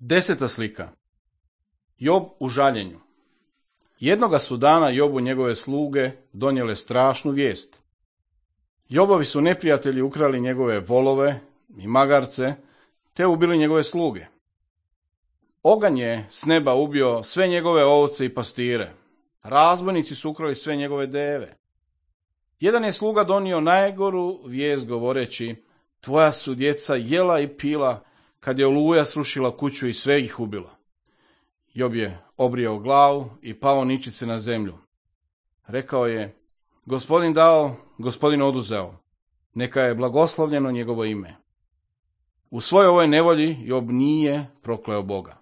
10. slika. Job u žaljenju. Jednoga su dana Jobu njegove sluge donijele strašnu vijest. Jobovi su neprijatelji ukrali njegove volove i magarce, te ubili njegove sluge. Oganj je s neba ubio sve njegove ovce i pastire. Razbojnici su ukrali sve njegove deve. Jedan je sluga donio najgoru vijest govoreći: tvoja su djeca jela i pila kad je oluja srušila kuću i sve ih ubila. Job je obrijao glavu i pao ničice na zemlju. Rekao je: Gospodin dao, Gospodin oduzeo, neka je blagoslovljeno njegovo ime. U svojoj ovoj nevolji Job nije prokleo Boga.